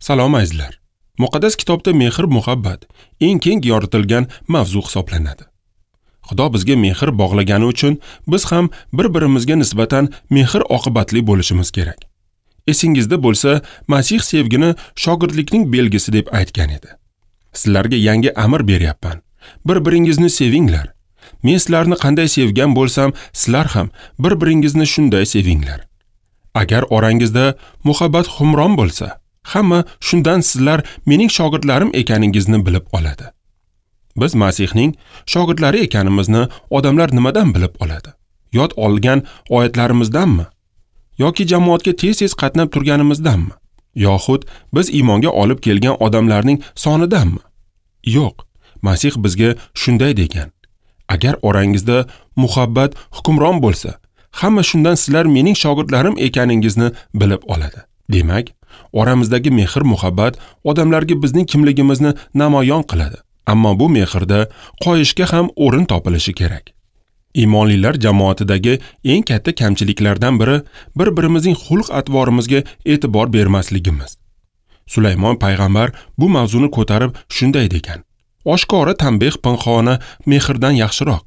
Salom azizlar. Muqaddas kitobda mehr-muhabbat eng keng yoritilgan mavzu hisoblanadi. Xudo bizga mehr bog'lagani uchun biz ham bir-birimizga nisbatan mehr oqibatli bo'lishimiz kerak. Esingizda bo'lsa, Masih sevgini shogirdlikning belgisi deb aytgan edi. Sizlarga yangi amr beryapman. Bir-biringizni sevinglar. Men sizlarni qanday sevgan bo'lsam, sizlar ham bir-biringizni shunday sevinglar. Agar orangizda muhabbat hukmron bo'lsa, hamma shundan sizlar mening shogirdlarim ekaningizni bilib oladi. Biz Masihning shogirdlari ekanimizni odamlar nimadan bilib oladi? Yod olgan oyatlarimizdanmi? Yoki jamoatga tez-tez qatnab turganimizdanmi? Yoxud biz iymonga olib kelgan odamlarning sonidanmi? Yo'q, Masih bizga shunday degan: agar orangizda muhabbat hukmron bo'lsa, hamma shundan sizlar mening shogirdlarim ekaningizni bilib oladi. Demak, oramizdagi mehr-muhabbat odamlarga bizning kimligimizni namoyon qiladi. Ammo bu mehrda qoyishga ham o'rin topilishi kerak. Iymonlilar jamoatidagi eng katta kamchiliklardan biri bir-birimizning xulq-atvorimizga e'tibor bermasligimiz. Sulaymon payg'ambar bu mavzuni ko'tarib shunday degan: oshkora tanbeh pinhona mehrdan yaxshiroq.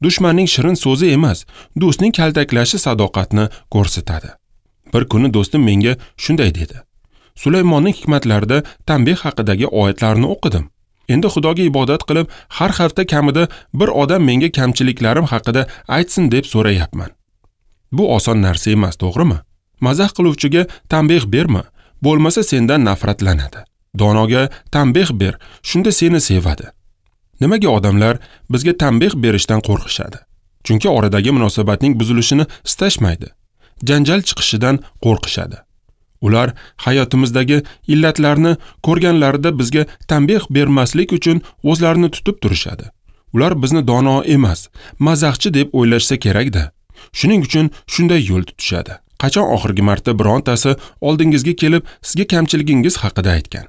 Dushmanning shirin so'zi emas, do'stning kaltaklashi sadoqatni ko'rsatadi. Bir kuni do'stim menga shunday dedi: Sulaymonning hikmatlarida tanbeh haqidagi oyatlarni o'qidim. Endi Xudoga ibodat qilib, har hafta kamida bir odam menga kamchiliklarim haqida aytsin deb so'rayapman. Bu oson narsa emas, to'g'rimi? Mazax qiluvchiga tanbeh berma, bo'lmasa sendan nafratlanadi. Donoga tanbeh ber, shunda seni sevadi. Nimaga odamlar bizga tanbeh berishdan qo'rqishadi? Chunki oradagi munosabatning buzilishini istashmaydi. Janjal chiqishidan qo'rqishadi. Ular hayotimizdagi illatlarni ko'rganlarida bizga tanbeh bermaslik uchun o'zlarini tutib turishadi. Ular bizni dono emas, mazaxchi deb o'ylashsa kerak-da. Shuning uchun shunday yo'l tutishadi. Qachon oxirgi marta birontasi oldingizga kelib sizga kamchiligingiz haqida aytgan?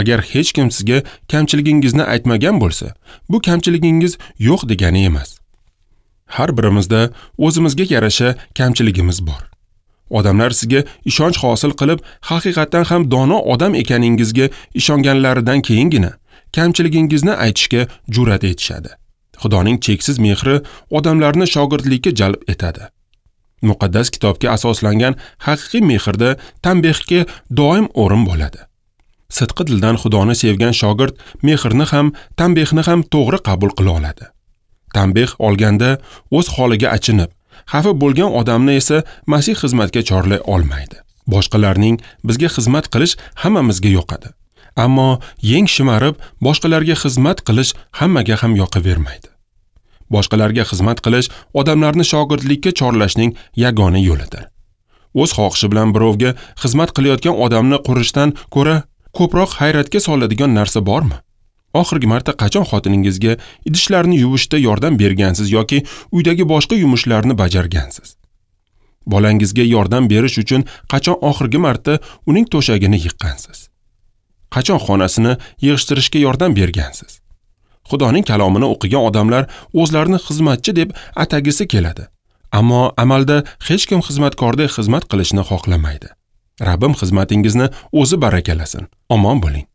Agar hech kim sizga kamchiligingizni aytmagan bo'lsa, bu kamchiligingiz yo'q degani emas. Har birimizda o'zimizga yarasha kamchiligimiz bor. Odamlar sizga ishonch hosil qilib, haqiqatan ham dono odam ekaningizga ishonganlaridan keyingina kamchiligingizni aytishga jur'at etishadi. Xudoning cheksiz mehri odamlarni shogirdlikka jalb etadi. Muqaddas kitobga asoslangan haqiqiy mehrda tanbehga doim o'rin bo'ladi. Sidqi dildan Xudoni sevgan shogird mehrni ham, tanbehni ham to'g'ri qabul qila oladi. Tanbeh olganda o'z holiga achinib, xafa bo'lgan odamni esa Masih xizmatga chorlay olmaydi. Boshqalarning bizga xizmat qilish hammamizga yoqadi. Ammo yeng shimarib boshqalarga xizmat qilish hammaga ham yoqavermaydi. Boshqalarga xizmat qilish odamlarni shogirdlikka chorlashning yagona yo'lidir. O'z xohishi bilan birovga xizmat qilayotgan odamni qurishdan ko'ra ko'proq hayratga soladigan narsa bormi? Oxirgi marta qachon xotiningizga idishlarni yuvishda yordam bergansiz yoki uydagi boshqa yumushlarni bajargansiz? Bolangizga yordam berish uchun qachon oxirgi marta uning to'shagini yiqqansiz? Qachon xonasini yig'ishtirishga yordam bergansiz? Xudoning kalomini o'qigan odamlar o'zlarini xizmatchi deb atagisi keladi. Ammo amalda hech kim xizmatkorday xizmat qilishni xohlamaydi. Rabbim xizmatingizni o'zi barakalasin. Omon bo'ling.